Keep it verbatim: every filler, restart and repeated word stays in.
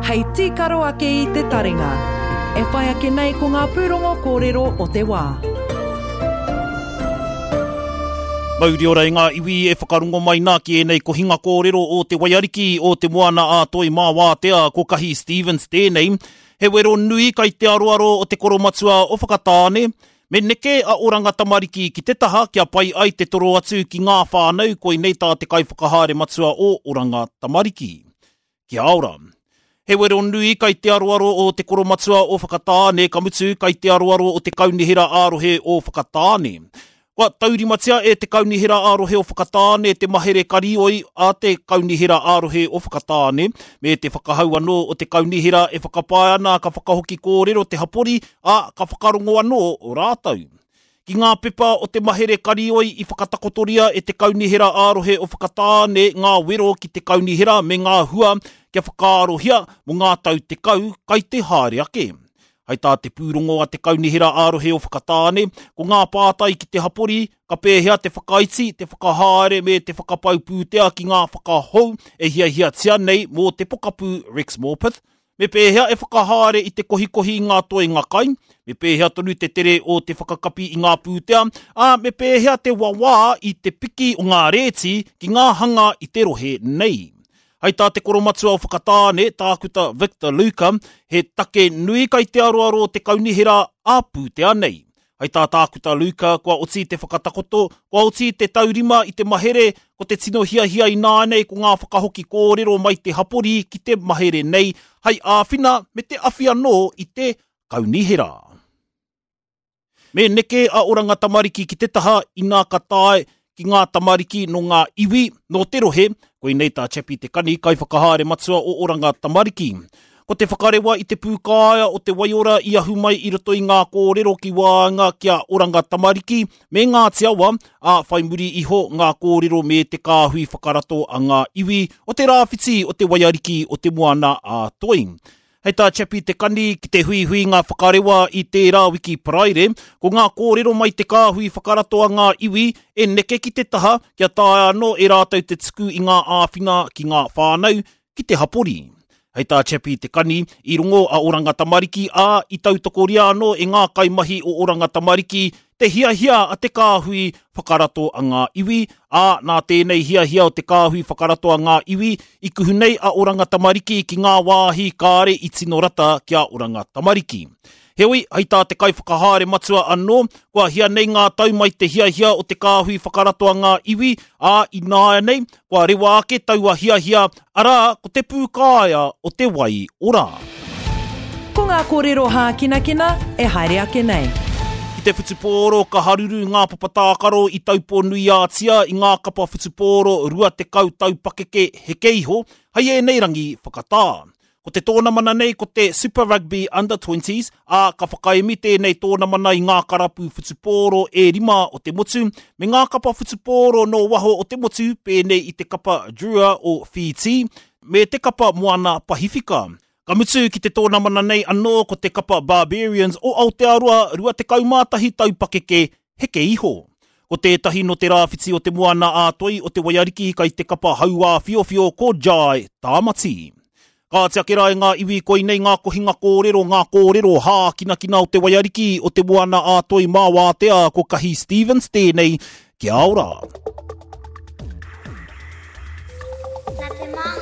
hei tīkaro ake i te taringa. E whai ake nei ko ngā pūrongo kōrero o te wā. Mauri ora i ngā iwi e whakarongo mai nā ki ēnei kohinga kōrero o te Waiariki o te Moana a Toi mā Wātea ko Kahi Stevens tēnei. He wero nui kai te aroaro o te koromatua o Whakatāne, me neke a Oranga Tamariki ki te taha kia pai ai te toro atu ki ngā whānau koinei tā te kaiwhakahaere matua o Oranga Tamariki. Kia ora. He wero nui kai te aroaro o te koromatua o Whakatāne, ka mutu kai te aroaro o te kaunihera ā-rohe o Whakatāne. Kua taurimatia e te kaunihera ā-rohe o Whakatāne te mahere karioi a te kaunihera ā-rohe o Whakatāne, me te whakahau anō o te kaunihera e whakapae ana ka whakahoki kōrero te hapori, ā, ka whakarongo anō o rātou. Ki ngā pepa o te mahere karioi i whakatakotoria e te kaunihera ā-rohe o Whakatāne ngā wero ki te kaunihera me ngā hua kia whakaarohia mō ngā tau tekau kai te haere ake. Hai tā te pūrongo a te kaunihera ā-rohe o Whakatāne, ko ngā pātai ki te hapori, ka pēhea te whakaiti, te whakahaere me te whakapau pūtea ki ngā whakahou e hiahiatia nei mō te pokapū Rex Morpeth, me pēhea e whakahaere i te kohikohi i ngā toenga kai, me pēhea tonu te tere o te whakakapi i ngā pūtea, ā, me pēhea te wawā i te piki o ngā rēti ki ngā hanga i te rohe nei. Hai tā te koromatua o Whakatāne, Tākuta Victor Luka, he take nui kai te aroaro o te kaunihera ā pūtea nei. Hai tā Tākuta Luka, kua oti te whakatakoto, kua oti te taurima i te mahere, ko te tino hiahia i nānei ko ngā whakahoki kōrero mai te hapori ki te mahere nei, hai āwhina me te awhi anō i te kaunihera. Me neke a Oranga Tamariki ki te taha inā ka tae ki ngā tamariki no ngā iwi, no te rohe, koinei tā Chappie Te Kani, kaiwhakahaere matua o Oranga Tamariki. Ko te whakarewa i te pūkāea o te waiora i ahu mai i roto i ngā kōrero ki waenga ki a Oranga Tamariki me Ngāti Awa, ā whai muri iho ngā kōrero me te kāhui whakarato a ngā iwi o te rāwhiti o te Waiariki o te Moana a Toi. Hei tā Chappie Te Kani ki te huihui ngā whakarewa i tērā wiki Paraire, ko ngā kōrero mai te kāhui whakarato a ngā iwi e neke ki te taha kia taea anō e rātou te tuku i ngā āwhina ki ngā whānau ki te hapori. Hei tā Chappie Te Kani, i rongo a Oranga Tamariki ā i tautokoria anō e ngā kaimahi o Oranga Tamariki te hiahia a te kāhui whakarato a ngā iwi, ā, nā tēnei hiahia o te kāhui whakarato a ngā iwi, i kuhu nei a Oranga Tamariki ki ngā wāhi kāre i tino rata ki a Oranga Tamariki. Heoi, hei tā te kaiwhakahaere matua anō, kua hia nei ngā tau mai te hiahia o te kāhui whakarato a ngā iwi, ā, i nāianei, kua rewa ake taua hiahia, arā, ko te pūkāea o te wai ora. Ko ngā kōrero hākinakina e haere ake nei. Ki te whutupōro ka haruru ngā papatākaro i Taupō-nui-ā-Tia i ngā kapa whutupōro rua tekau tau pakeke heke iho, hei ēnei rangi whakatā. Ko te tōnamana nei ko te Super Rugby Under twenties, ā, ka whakaemi tēnei tōnamana i ngā karapu whutupōro e rima o te motu, me ngā kapa whutupōro nō waho o te motu pēnei i te kapa Drua o Whītī, me te kapa Moana Pahiwhika. Ka mutu ki te tōnamana nei anō ko te kapa Barbarians o Aotearoa rua tekau mā tahi tau pakeke heke iho. Ko tētahi no te rāwhiti o te Moana ā Toi o te Waiariki kai te kapa hauā whiowhio ko Jai Tāmati. Kāti ake rā e ngā iwi koinei ngā kohinga kōrero, ngā kōrero hākinakina o te Waiariki o te Moana ā Toi mā Wātea ko Kahi Stevens tēnei, kia ora. Nā te mā